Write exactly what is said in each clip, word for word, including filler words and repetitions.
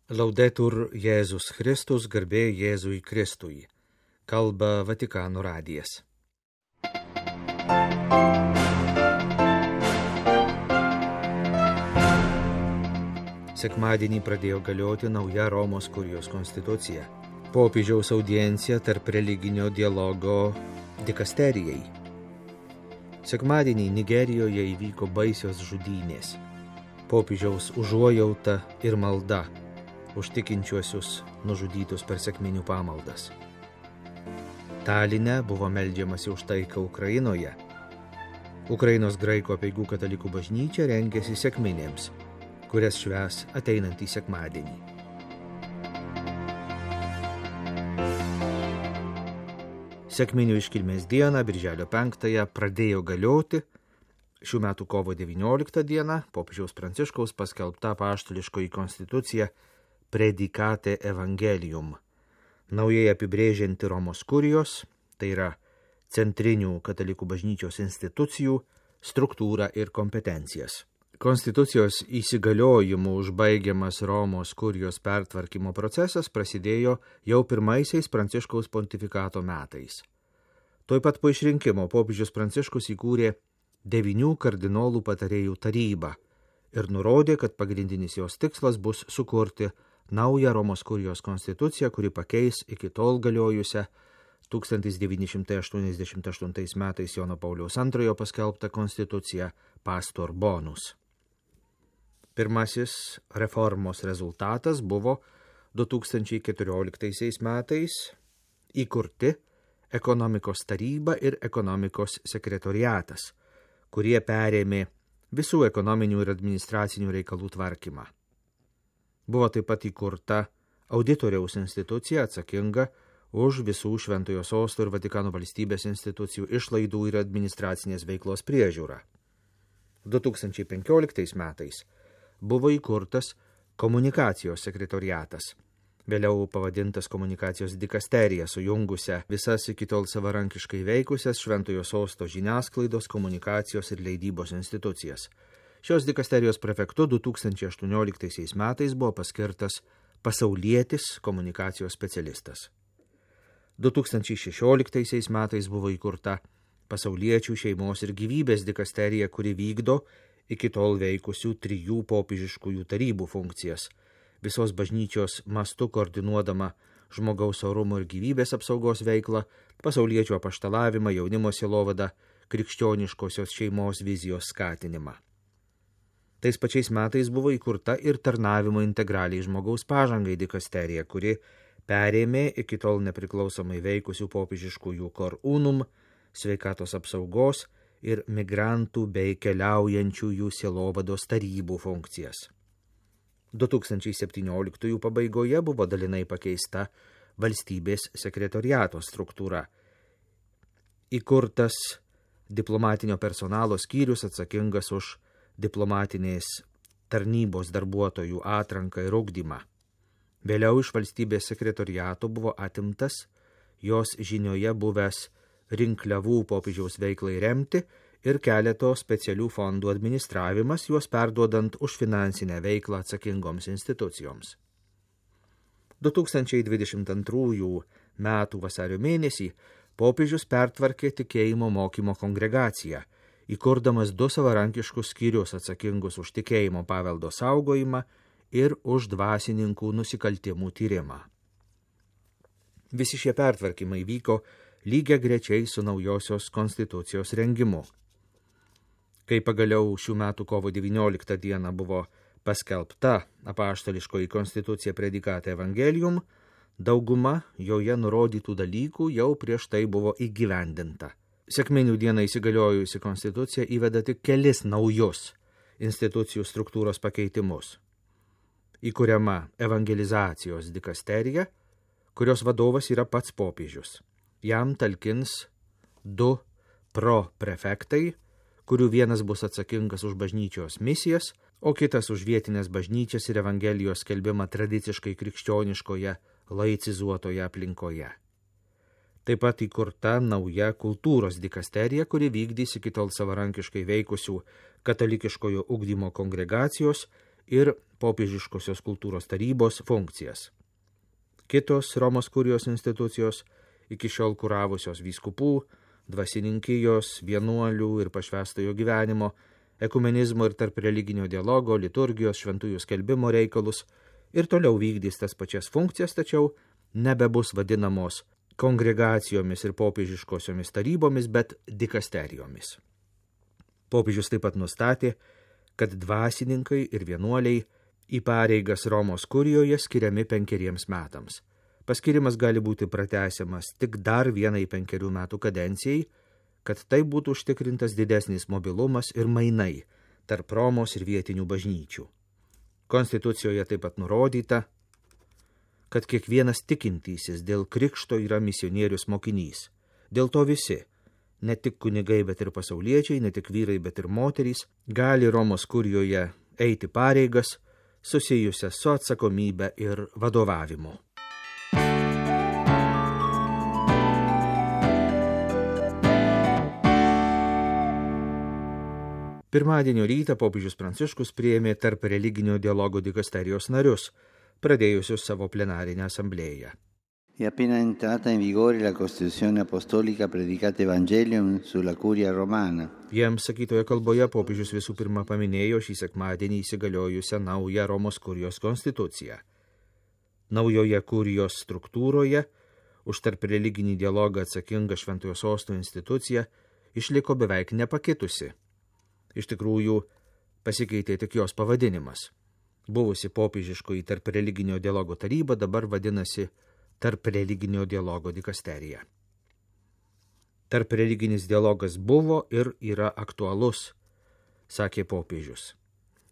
Laudetur Jėzus Kristus, garbė Jėzui Kristui. Kalba Vatikano radijas. Sekmadienį pradėjo galioti nauja Romos kurijos konstitucija. Popiežiaus audiencija tarp religinio dialogo dikasterijai. Sekmadienį Nigerijoje įvyko baisios žudynės. Popiežiaus užuojauta ir malda už tikinčiuosius nužudytus per sekminių pamaldas. Taline buvo meldžiamasi už taiką Ukrainoje. Ukrainos graikų apeigų katalikų bažnyčia rengėsi sekminėms, kurias švęs ateinantį sekmadienį. Sekminių iškilmės dieną, birželio penktąją, pradėjo galioti šių metų kovo devynioliktą dieną popiežiaus Pranciškaus paskelbta apaštališkoji konstitucija Predicate Evangelium, naujai apibrėžianti Romos kurijos, tai yra centrinių katalikų bažnyčios institucijų, struktūrą ir kompetencijas. Konstitucijos įsigaliojimu užbaigiamas Romos kurijos pertvarkymo procesas prasidėjo jau pirmaisiais Pranciškaus pontifikato metais. Tuoj pat po išrinkimo popiežius Pranciškus įkūrė devynių kardinolų patarėjų tarybą ir nurodė, kad pagrindinis jos tikslas bus sukurti naują Romos kurijos konstituciją, kuri pakeis iki tol galiojusią tūkstantis devyni šimtai aštuoniasdešimt aštuntais metais Jono Pauliaus antrojo paskelbtą konstituciją Pastor Bonus. Pirmasis reformos rezultatas buvo du tūkstančiai keturioliktaisiais metais įkurti ekonomikos taryba ir ekonomikos sekretoriatas, kurie perėmė visų ekonominių ir administracinių reikalų tvarkymą. Buvo taip pat įkurta auditoriaus institucija atsakinga už visų Šventojo Sosto ir Vatikano valstybės institucijų išlaidų ir administracinės veiklos priežiūrą. du tūkstančiai penkioliktais metais buvo įkurtas komunikacijos sekretoriatas, vėliau pavadintas komunikacijos dikasterija, sujungusią visas iki tol savarankiškai veikusias Šventojo Sosto žiniasklaidos, komunikacijos ir leidybos institucijas. Šios dikasterijos prefektu du tūkstančiai aštuonioliktaisiais metais buvo paskirtas pasaulietis komunikacijos specialistas. du tūkstančiai šešioliktaisiais metais buvo įkurta pasauliečių šeimos ir gyvybės dikasterija, kuri vykdo iki tol veikusių trijų popiežiškųjų tarybų funkcijas, visos bažnyčios mastu koordinuodama žmogaus orumo ir gyvybės apsaugos veiklą, pasauliečių apaštalavimą, jaunimo sielovadą, krikščioniškosios šeimos vizijos skatinimą. Tais pačiais metais buvo įkurta ir tarnavimo integraliai žmogaus pažangai dikasterija, kuri perėmė iki tol nepriklausomai veikusių popiežiškųjų cor unum, sveikatos apsaugos ir migrantų bei keliaujančiųjų sielovados tarybų funkcijas. du tūkstančiai septynioliktųjų pabaigoje buvo dalinai pakeista valstybės sekretoriato struktūra. Įkurtas diplomatinio personalo skyrius atsakingas už diplomatinės tarnybos darbuotojų atranką ir ugdymą. Vėliau iš valstybės sekretoriato buvo atimtas jos žinioje buvęs rinkliavų popiežiaus veiklai remti ir keleto specialių fondų administravimas, juos perduodant už finansinę veiklą atsakingoms institucijoms. du tūkstančiai dvidešimt antrųjų metų vasario mėnesį popiežius pertvarkė tikėjimo mokymo kongregaciją, įkurdamas du savarankiškus skyrius atsakingus už tikėjimo paveldo saugojimą ir už dvasininkų nusikaltimų tyrimą. Visi šie pertvarkymai vyko lygiagrečiai su naujosios konstitucijos rengimu. Kai pagaliau šių metų kovo devynioliktą dieną buvo paskelbta apaštališkoji konstitucija Predicate Evangelium, dauguma joje nurodytų dalykų jau prieš tai buvo įgyvendinta. Sekminių dieną įsigaliojusi konstitucija įveda tik kelis naujus institucijų struktūros pakeitimus. Įkuriama evangelizacijos dikasterija, kurios vadovas yra pats popiežius. Jam talkins du pro-prefektai, kurių vienas bus atsakingas už bažnyčios misijas, o kitas už vietinės bažnyčias ir evangelijos skelbimą tradiciškai krikščioniškoje, laicizuotoje aplinkoje. Taip pat įkurta nauja kultūros dikasterija, kuri vykdys iki tol savarankiškai veikusių katalikiškojo ugdymo kongregacijos ir popiežiškosios kultūros tarybos funkcijas. Kitos Romos kurijos institucijos, iki šiol kuravusios vyskupų, dvasininkijos, vienuolių ir pašvęstojo gyvenimo, ekumenizmo ir tarp religinio dialogo, liturgijos, šventųjų skelbimo reikalus, ir toliau vykdys tas pačias funkcijas, tačiau nebebus vadinamos kongregacijomis ir popiežiškosiomis tarybomis, bet dikasterijomis. Popiežius taip pat nustatė, kad dvasininkai ir vienuoliai į pareigas Romos kurijoje skiriami penkeriems metams. Paskirimas gali būti pratęsiamas tik dar vienai penkerių metų kadencijai, kad tai būtų užtikrintas didesnis mobilumas ir mainai tarp Romos ir vietinių bažnyčių. Konstitucijoje taip pat nurodyta, kad kiekvienas tikintysis dėl krikšto yra misionierius mokinys. Dėl to visi, ne tik kunigai, bet ir pasauliečiai, ne tik vyrai, bet ir moterys, gali Romos kurijoje eiti pareigas susijusias su atsakomybe ir vadovavimu. Pirmadienio rytą popiežius Pranciškus priėmė tarp religinio dialogo dikasterijos narius, pradėjusius savo plenarinę asamblėją. È appena entrata in vigore la Costituzione Apostolica Predicate Evangelium sulla Curia Romana. Jiems sakytoje kalboje popiežius visų pirma paminėjo šį sekmadienį įsigaliojusią naują Romos kurijos konstituciją. Naujoje kurijos struktūroje už tarp religinį dialogą atsakinga Šventojo Sosto institucija išliko beveik nepakitusi. Iš tikrųjų, pasikeitė tik jos pavadinimas. Buvusi popiežiškoji tarp religinio dialogo taryba dabar vadinasi tarp religinio dialogo dikasterija. Tarp religinis dialogas buvo ir yra aktualus, sakė popiežius.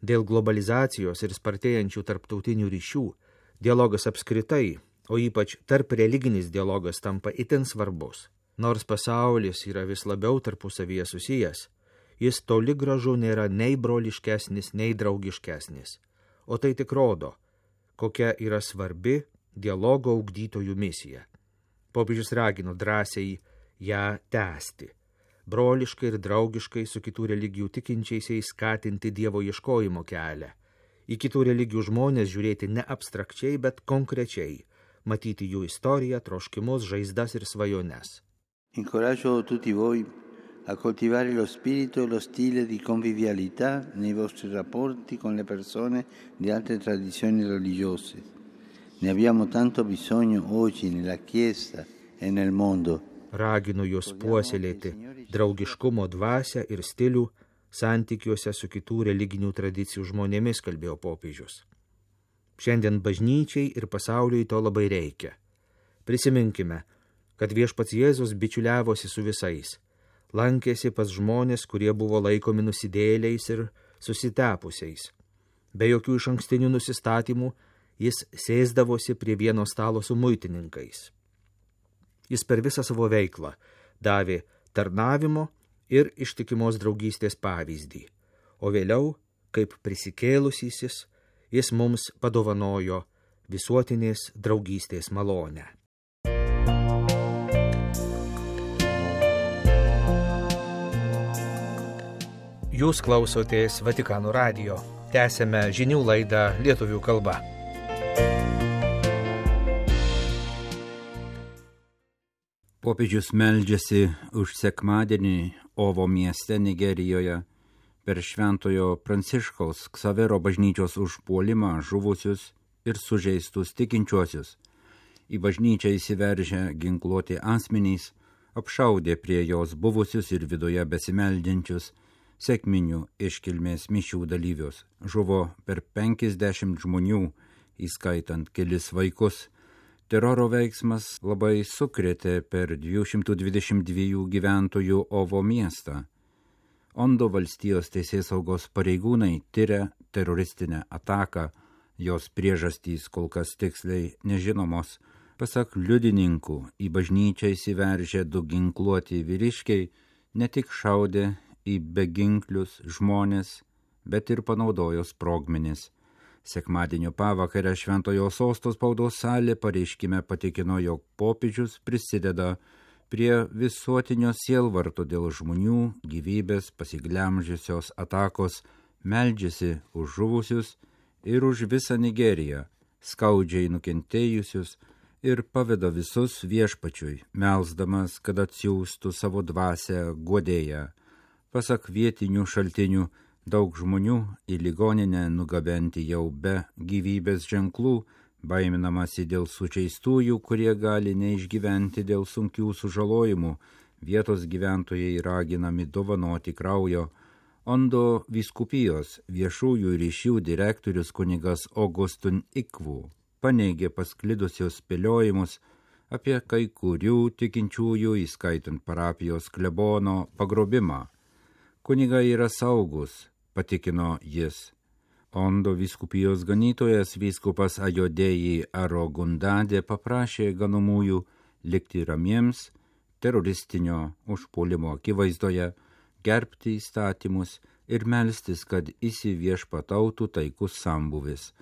Dėl globalizacijos ir spartėjančių tarptautinių ryšių dialogas apskritai, o ypač tarp religinis dialogas tampa itin svarbus. Nors pasaulis yra vis labiau tarpusavyje susijęs, jis toli gražu nėra nei broliškesnis, nei draugiškesnis. O tai tik rodo, kokia yra svarbi dialogo ugdytojų misija. Popiežius ragino drąsiai ją tęsti, broliškai ir draugiškai su kitų religijų tikinčiaisiais skatinti Dievo ieškojimo kelią, į kitų religijų žmonės žiūrėti ne abstrakčiai, bet konkrečiai, matyti jų istoriją, troškimus, žaizdas ir svajones. Incoraggio tutti voi a coltivare lo spirito e lo stile di convivialità nei vostri rapporti con le persone di altre tradizioni religiose. Ne abbiamo tanto bisogno oggi nella Chiesa e nel mondo. Raginu jūs puoselėti draugiškumo dvasią ir stilių santykiuose su kitų religinių tradicijų žmonėmis, kalbėjo popiežius. Šiandien bažnyčiai ir pasauliui to labai reikia. Prisiminkime, kad viešpats Jėzus bičiuliavosi su visais, lankėsi pas žmonės, kurie buvo laikomi nusidėjėliais ir susitepusiais. Be jokių išankstinių nusistatymų jis sėsdavosi prie vieno stalo su muitininkais. Jis per visą savo veiklą davė tarnavimo ir ištikimos draugystės pavyzdį, o vėliau, kaip prisikėlusysis, jis mums padovanojo visuotinės draugystės malonę. Jūs klausotės Vatikano radijo. Tęsėme žinių laidą lietuvių kalba. Popiežius meldžiasi už sekmadienį Ovo mieste Nigerijoje per Šventojo Pranciškaus Ksavero bažnyčios užpuolimą žuvusius ir sužeistus tikinčiuosius. Į bažnyčią įsiveržę ginkluoti asmenys apšaudė prie jos buvusius ir viduje besimeldžiančius sekminių iškilmės mišių dalyvius. Žuvo per penkiasdešimt žmonių, įskaitant kelis vaikus. Teroro veiksmas labai sukrėtė per dviejų šimtų dvidešimt dviejų gyventojų Ovo miestą. Ondo valstijos teisėsaugos pareigūnai tiria teroristinę ataką, jos priežastys kol kas tiksliai nežinomos. Pasak liudininkų, į bažnyčią įsiveržę du ginkluoti vyriškiai ne tik šaudė į beginklius žmonės, bet ir panaudojo sprogmenis. Sekmadienio pavakarę Šventojo Sosto spaudos salė pareiškime patikino, jog popiežius prisideda prie visuotinio sielvarto dėl žmonių gyvybės pasiglemžiusios atakos, meldžiasi už žuvusius ir už visą Nigeriją, skaudžiai nukentėjusius, ir paveda visus viešpačiui, melsdamas, kad atsiųstų savo dvasią guodėją. Pasak vietinių šaltinių, daug žmonių į ligoninę nugabenti jau be gyvybės ženklų, baiminamasi dėl sužeistųjų, kurie gali neišgyventi dėl sunkių sužalojimų. Vietos gyventojai raginami dovanoti kraujo. Ondo vyskupijos viešųjų ryšių direktorius kunigas Augustun Ikvu paneigė pasklidusios spėliojimus apie kai kurių tikinčiųjų, įskaitant parapijos klebono, pagrobimą. Kunigai yra saugus, patikino jis. Ondo vyskupijos ganytojas vyskupas Ajodėjai Arogundadė paprašė ganomųjų likti ramiems teroristinio užpuolimo akivaizdoje, gerbti įstatymus ir melstis, kad įsiviešpatautų taikus sambuvis.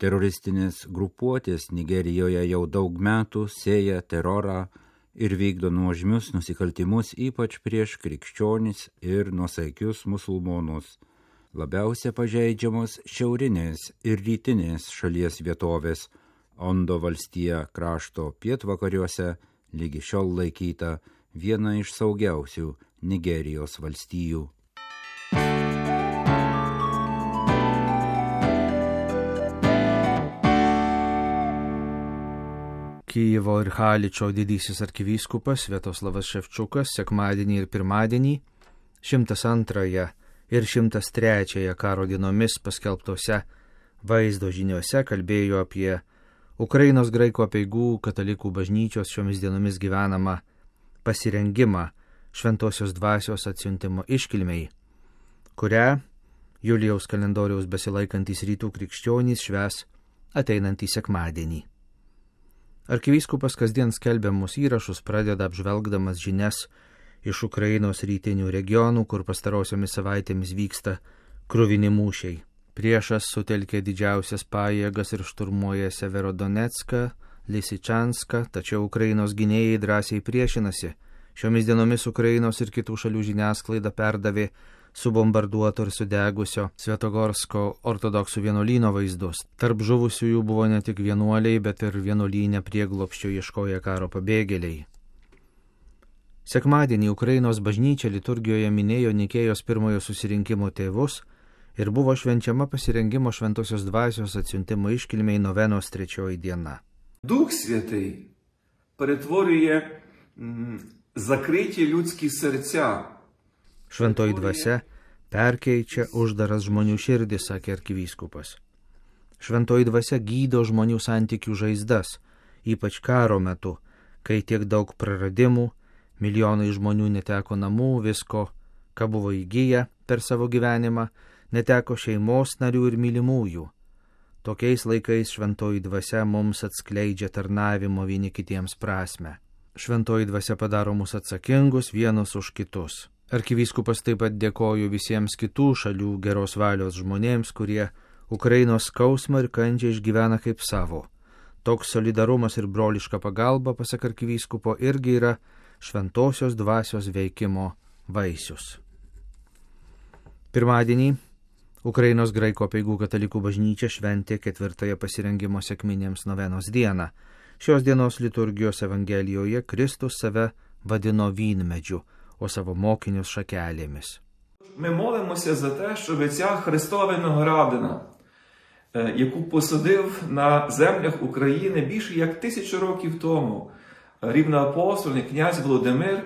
Teroristinės grupuotės Nigerijoje jau daug metų sėja terorą ir vykdo nuožmius nusikaltimus, ypač prieš krikščionis ir nuosaikius musulmonus. Labiausia pažeidžiamos šiaurinės ir rytinės šalies vietovės. Ondo valstija krašto pietvakariuose lygi šiol laikyta viena iš saugiausių Nigerijos valstijų. Kijevo ir Haličo didysis arkivyskupas Sviatoslavas Ševčiukas sekmadienį ir pirmadienį šimtas antrąją ir šimtas trečiąją karo dienomis paskelbtose vaizdo žiniuose kalbėjo apie Ukrainos graikų apeigų katalikų bažnyčios šiomis dienomis gyvenamą pasirengimą šventosios dvasios atsiuntimo iškilmei, kurią Julijaus kalendoriaus besilaikantys rytų krikščionys švęs ateinantį sekmadienį. Arkivyskupas kasdien skelbiamus įrašus pradeda apžvelgdamas žinias iš Ukrainos rytinių regionų, kur pastarosiomis savaitėmis vyksta kruvini mūšiai. Priešas sutelkė didžiausias pajėgas ir šturmuoja Severodonecką, Lisičanską, tačiau Ukrainos gynėjai drąsiai priešinasi. Šiomis dienomis Ukrainos ir kitų šalių žiniasklaida perdavė subombarduoto ir sudegusio Svetogorsko ortodoksų vienuolyno vaizdus. Tarp žuvusiųjų buvo ne tik vienuoliai, bet ir vienuolyne prieglobsčio ieškoję karo pabėgėliai. Sekmadienį Ukrainos bažnyčia liturgijoje minėjo Nikėjos pirmojo susirinkimo tėvus ir buvo švenčiama pasirengimo šventosios dvasios atsiuntimo iškilmei novenos trečioji diena. Дух Святий перетворює закриті людські серця. Šventoji dvasia perkeičia uždaras žmonių širdis, sakė arkivyskupas. Šventoji dvasia gydo žmonių santykių žaizdas, ypač karo metu, kai tiek daug praradimų, milijonai žmonių neteko namų, visko, ką buvo įgyję per savo gyvenimą, neteko šeimos narių ir mylimųjų. Tokiais laikais šventoji dvasia mums atskleidžia tarnavimo vieni kitiems prasme. Šventoji dvasia padaro mus atsakingus vienus už kitus. Arkivyskupas taip pat dėkoju visiems kitų šalių geros valios žmonėms, kurie Ukrainos skausmą ir kančią išgyvena kaip savo. Toks solidarumas ir broliška pagalba, pasak arkivyskupo, irgi yra šventosios dvasios veikimo vaisius. Pirmadienį Ukrainos graikų apeigų katalikų bažnyčia šventė ketvirtąją pasirengimo sekminėms novenos dieną. Šios dienos liturgijos evangelijoje Kristus save vadino vynmedžiu, o savo mokinius šakelėmis. Ми молимося за те, щоб ця Христова виноградина, яку посадив на землях України більше як тисячу років тому рівноапостольний князь Володимир,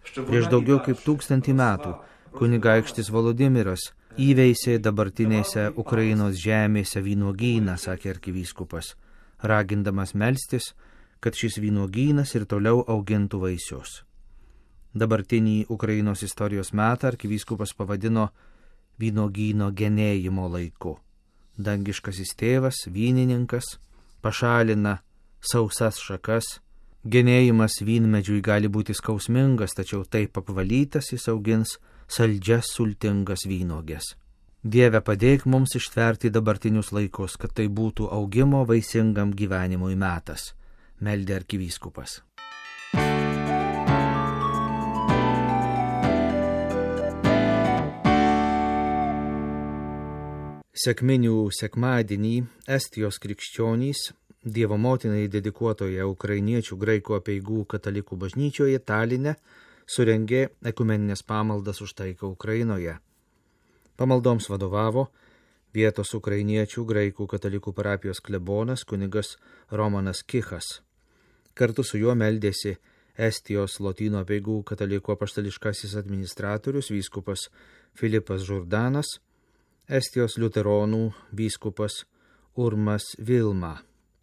щоб Prieš daugiau kaip tūkstantį metų kunigaikštis Volodimiras įveisė dabartinėse Ukrainos žemėse vynuogyną, sakė arkivyskupas, ragindamas melstis, kad šis vynuogynas ir toliau augintų vaisius. Dabartinį Ukrainos istorijos metą arkivyskupas pavadino vynuogyno genėjimo laiku. Dangiškasis tėvas, vynininkas, pašalina sausas šakas. Genėjimas vynmedžiui gali būti skausmingas, tačiau taip apvalytas jis augins saldžias sultingas vynuogės. Dieve, padėk mums ištverti dabartinius laikus, kad tai būtų augimo vaisingam gyvenimui metas, meldė arkivyskupas. Sekminių sekmadienį Estijos krikščionys Dievo motinai dedikuotoje ukrainiečių graikų apeigų katalikų bažnyčioje Taline surengė ekumeninės pamaldas už taiką Ukrainoje. Pamaldoms vadovavo vietos ukrainiečių graikų katalikų parapijos klebonas kunigas Romanas Kichas. Kartu su juo meldėsi Estijos Lotynų apeigų katalikų apaštališkasis administratorius vyskupas Filipas Žurdanas, Estijos liuteronų vyskupas Urmas Vilma.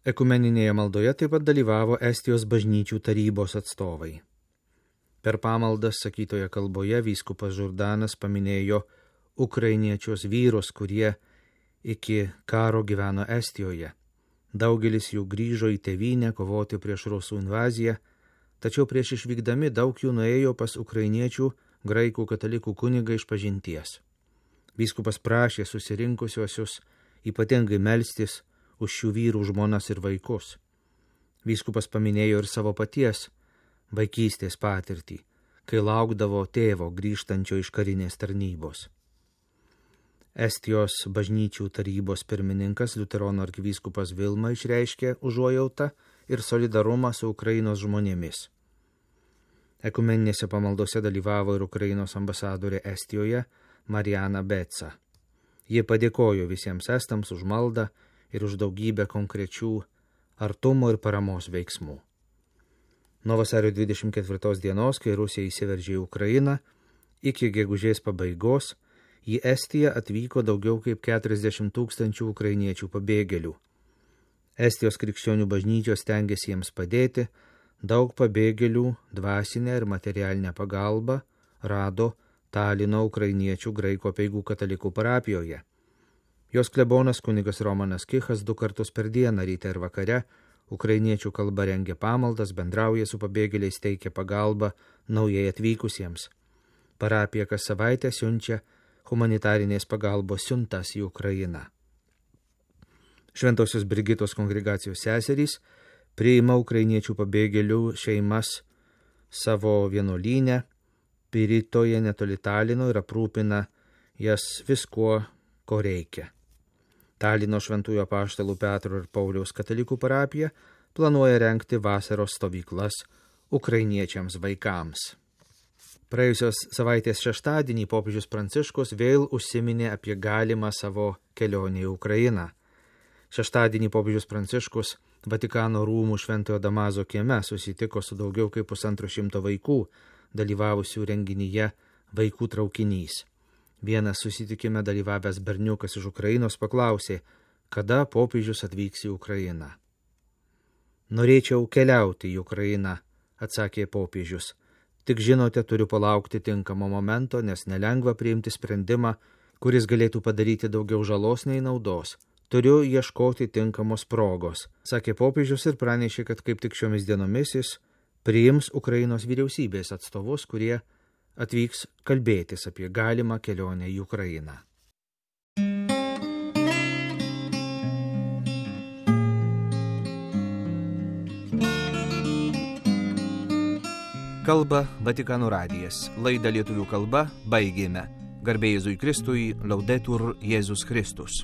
Ekumeninėje maldoje taip pat dalyvavo Estijos bažnyčių tarybos atstovai. Per pamaldas sakytoje kalboje vyskupas Žurdanas paminėjo ukrainiečius vyrus, kurie iki karo gyveno Estijoje. Daugelis jų grįžo į tėvynę kovoti prieš rusų invaziją, tačiau prieš išvykdami daug jų nuėjo pas ukrainiečių graikų katalikų kunigą išpažinties. Vyskupas prašė susirinkusiuosius ypatingai melstis už šių vyrų žmonas ir vaikus. Vyskupas paminėjo ir savo paties vaikystės patirtį, kai laukdavo tėvo grįžtančio iš karinės tarnybos. Estijos bažnyčių tarybos pirmininkas liuteronų arkivyskupas Vilma išreiškė užuojautą ir solidarumą su Ukrainos žmonėmis. Ekumeninėse pamaldose dalyvavo ir Ukrainos ambasadorė Estijoje Mariana Betsa. Jie padėkojo visiems estams už maldą ir už daugybę konkrečių artumo ir paramos veiksmų. Nuo vasario dvidešimt ketvirtos dienos, kai Rusija įsiveržė į Ukrainą, iki gegužės pabaigos į Estiją atvyko daugiau kaip keturiasdešimt tūkstančių ukrainiečių pabėgėlių. Estijos krikščionių bažnyčios stengiasi jiems padėti, daug pabėgėlių dvasinę ir materialinę pagalbą rado Talino ukrainiečių graikų apeigų katalikų parapijoje. Jos klebonas kunigas Romanas Kichas du kartus per dieną ryte ir vakare ukrainiečių kalba rengia pamaldas, bendrauja su pabėgėliais, teikia pagalbą naujai atvykusiems. Parapija kas savaitę siunčia humanitarinės pagalbos siuntas į Ukrainą. Šventosios Brigitos kongregacijos seserys priima ukrainiečių pabėgėlių šeimas savo vienuolyne Piritoje netoli Talino ir aprūpina jas viskuo, ko reikia. Talino šventųjų apaštalų Petro ir Pauliaus katalikų parapija planuoja rengti vasaros stovyklas ukrainiečiams vaikams. Praėjusios savaitės šeštadienį popiežius Pranciškus vėl užsiminė apie galimą savo kelionę į Ukrainą. Šeštadienį popiežius Pranciškus Vatikano rūmų Šventojo Damazo kieme susitiko su daugiau kaip pusantro šimto vaikų, dalyvavusių renginyje Vaikų traukinys. Vienas susitikime dalyvavęs berniukas iš Ukrainos paklausė, kada popiežius atvyks į Ukrainą. Norėčiau keliauti į Ukrainą, atsakė popiežius. Tik žinote, turiu palaukti tinkamo momento, nes nelengva priimti sprendimą, kuris galėtų padaryti daugiau žalos nei naudos. Turiu ieškoti tinkamos progos, sakė popiežius ir pranešė, kad kaip tik šiomis dienomis jis priims Ukrainos vyriausybės atstovus, kurie atvyks kalbėtis apie galimą kelionę į Ukrainą. Kalba Vatikano radijas. Laidą lietuvių kalba baigėme. Garbė Jėzui Kristui, Laudetur Jėzus Kristus.